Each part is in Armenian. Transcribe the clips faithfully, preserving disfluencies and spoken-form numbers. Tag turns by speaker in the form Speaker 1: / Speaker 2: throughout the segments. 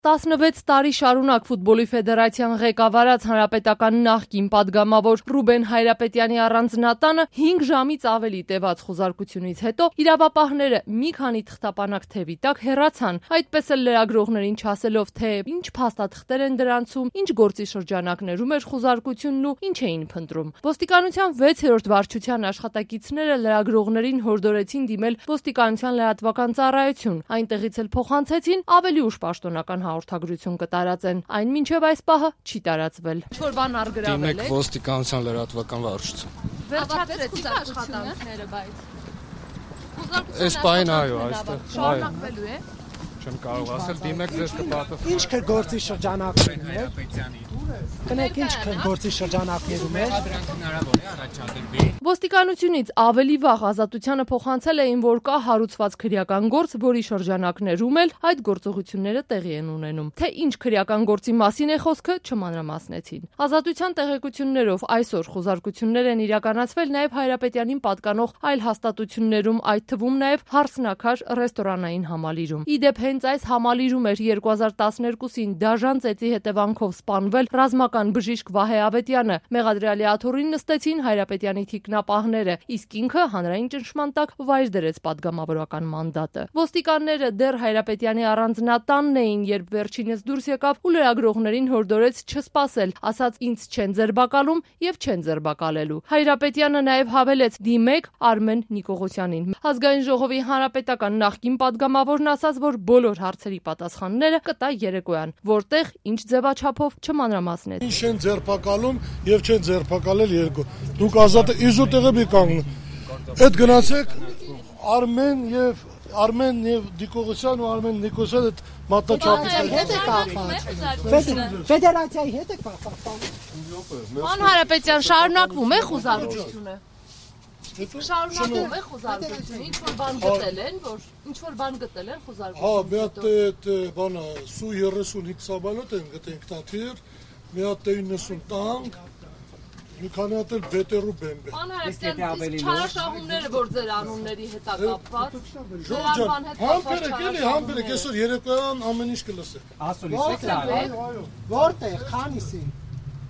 Speaker 1: տասնվեց տարի շարունակ ֆուտբոլի ֆեդերացիան ղեկավարած հանրապետական նախկին պատգամավոր Ռուբեն Հայրապետյանի առանձնատանը հինգ ժամից ավելի տևած խոզարկությունից հետո իրավապահները մի քանի թղթապանակ թևի տակ հեռացան, այդպես էլ լրագրողներին չասելով, թե ինչ փաստաթղթեր են դրանցում, ինչ գործի շրջանակներում էր խոզարկությունն ու ինչ էին փնտրում։ Ոստիկանության վեցերորդ վարչության աշխատակիցները լրագրողներին հորդորեցին դիմել ոստիկանության լրատվական ծառայություն, այնտեղից էլ փոխանցեցին ավելի ուշ պաշտոնական հաղորդագրություն կտարածեն, այն մինչև այս պահը չի տարածվել։ Ինչ-որ բան արգրավել է։
Speaker 2: Դիմեք ոստիկանության լրատվական վարչություն։
Speaker 1: Վերջացրեցիք աշխատանքները, բայց
Speaker 2: Այս պահին այո, այստեղ
Speaker 1: շարունակվելու է։
Speaker 2: Չեմ կարող ասել, դիմեք ձեզ կպատասխանեն։
Speaker 3: Ինչ կգործի շրջանակներում է։ Կնեք ինչ կգործի շրջանակներում է։
Speaker 1: Ոստիկանությունից ավելի վաղ Ազատությանը փոխանցել էին, որ կա հարուցված քրեական գործ, որի շրջանակներում էլ այդ գործողությունները տեղի են ունենում։ Թե ինչ քրեական գործի մասին է խոսքը, չմանրամասնեցին։ Ազատության տեղեկություններով այսօր խոզարկություններ են իրականացվել նաև Հայրապետյանին պատկանող այլ հաստատություններում, այդ թվում նաև Հարսնաքար ռեստորանային համալիրում։ Իդեպ հենց այս համալիրում էր երկու հազար տասներկուսին դաժան ծեծի հետևանքով սպանվել ռազմական բժիշկ Վահե Ավետյանը։ Մեղադրյալի աթոռին նստեցին Հայրապետյանի թիկնապահները, իսկ ինքը հանրային ճնշման տակ վայր դրեց պատգամավորական մանդատը։ Ոստիկանները դեռ Հայրապետյանի առանձնատանն էին, երբ վերջինս դուրս եկավ ու լրագրողներին հորդորեց չսպասել, ասաց ինձ չեն ձերբակալում եւ չեն ձերբակալելու։ Հայրապետյանը նաև հավելեց՝ դիմեք Արմեն Նիկողոսյանին։ Ազգային ժողովի հանրապետական նախկին պատգամավորն ասաց, որ բոլոր հարցերի պատասխանները կտա երեկոյան, որտեղ ինչ ձևաչափով չմանրամասնեց։
Speaker 4: Ինչ են ձերբակալում եւ չեն ձերբակալել երկու։ Դուք ազատ իզոտեղը մի կանգնեք։ Այդ գնացեք Արմեն եւ Արմեն եւ Նիկողոսյան ու Արմեն Նիկոսյան այդ մատչապի
Speaker 3: հետ է կապված։ Ֆեդերացիայի հետ է կապված։
Speaker 1: Ման Հայրապետյան, շարունակվում է խոզարկությունը։ Շարունակվում է խոզարկությունը, ինչ-որ բան գտել են, որ ինչ-որ բան գտել են խոզարկությունը։
Speaker 4: Հա, մի հատ այդ բանը Սու երեսունհինգ սաբալոտ են գտենք տաթիր, մի հատ իննսուն տանկ, մի քանի հատ էլ բետերու բեմբե։
Speaker 1: Ման Հայրապետյան, չարաշահումները, որ ձեր անունների հետ է կապված,
Speaker 4: Ժողջան, համբերեք էլի, համբերեք, այսօր երեկոյան ամեն ինչ կլսեք։
Speaker 3: Որտեղ, քանիսին։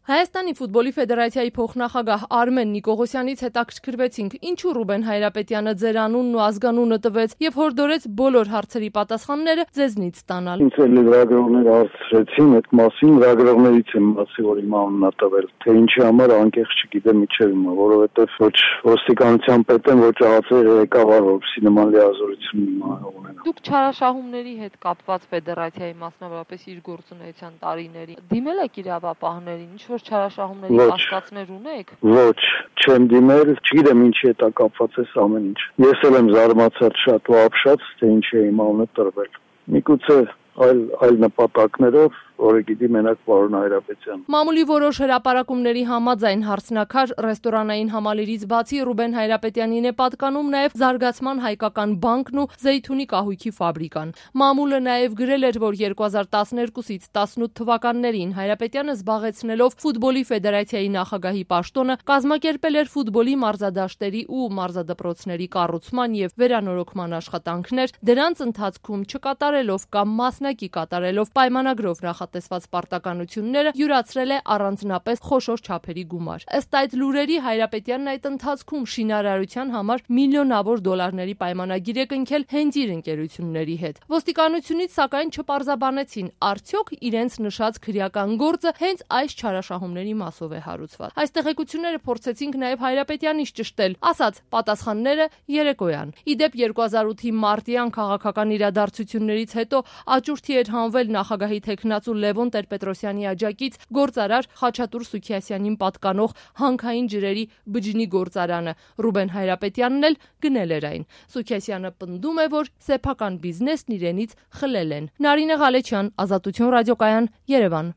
Speaker 1: Հայաստանի ֆուտբոլի ֆեդերացիայի փոխնախագահ Արմեն Նիկողոսյանից հետաքրքրվեցինք, ինչու Ռուբեն Հայրապետյանը ձեր անունն ու ազգանունը տվեց եւ հորդորեց բոլոր հարցերի պատասխանները ձեզնից ստանալ։
Speaker 5: Ինձ էլ լրագրողները հարցրեցին այդ մասին, լրագրողներից եմ ասի, որ իմ անունն է տվել, թե ինչի համար անկեղծ չգիտեմ իջև հիմա, որովհետեւ ոչ ոստիկանության պետ եմ, ոչ ԱԱՑ-ի ղեկավար, որպեսզի նման լիազորություն ունենա։
Speaker 1: Դուք չարաշահումների հետ կապված ֆեդերացիայի մասնավորապես իր գործունեության տարիների դիմել եք իրավապահներին, ինչ որ չարաշահումների կասկածներ ունեք։
Speaker 5: Ոչ, չեմ դիմել, չգիտեմ ինչի հետ է կապված այս ամեն ինչ։ Ես էլ եմ զարմացած շատ ու ապշած, թե ինչի է իմ անունը տրվել։ Միգուցե այլ այլ նպատակներով, որը գիտի մենակ պարոն Հայրապետյան։
Speaker 1: Մամուլի որոշ հրապարակումների համաձայն Հարսնաքար ռեստորանային համալիրից բացի Ռուբեն Հայրապետյանին է պատկանում նաև Զարգացման հայկական բանկն ու Զեյթունի կահույքի ֆաբրիկան։ Մամուլը նաև գրել էր, որ երկու հազար տասներկուսից տասնութ թվականներին Հայրապետյանը զբաղեցնելով ֆուտբոլի ֆեդերացիայի նախագահի պաշտոնը կազմակերպել էր ֆուտբոլի մարզադաշտերի ու մարզադպրոցների կառուցման եւ վերանորոգման աշխատանքներ, դրանց ընթացքում չկատարելով կամ մասնակի կատարելով պայմանագրով տեսված պարտականությունները յուրացրել է առանձնապես խոշոր չափերի գումար։ Ըստ այդ լուրերի Հայրապետյանն այդ ընթացքում շինարարության համար միլիոնավոր դոլարների պայմանագիր է կնքել հենց իր ընկերությունների հետ։ Ոստիկանությունից սակայն չպարզաբանեցին, արդյոք իրենց նշած քրեական գործը հենց այս չարաշահումների մասով է հարուցված։ Այս տեղեկությունները փորձեցինք նաև Հայրապետյանից ճշտել, ասաց պատասխանները երեկոյան։ Իդեպ երկու հազար ութի մարտյան քաղաքական իրադարձություններից հետո աճուրդի էր հանվել նախագահի թեկնածու Լևոն Տեր-Պետրոսյանի աջակից գործարար Խաչատուր Սուքիասյանին պատկանող հանքային ջրերի բջջի գործարանը։ Ռուբեն Հայրապետյանն էլ գնել էր այն։ Սուքիասյանը պնդում է, որ սեփական բիզնեսն իրենից խլել են։ Նարինե Ղալեչյան, Ազատություն ռադիոկայան, Երևան։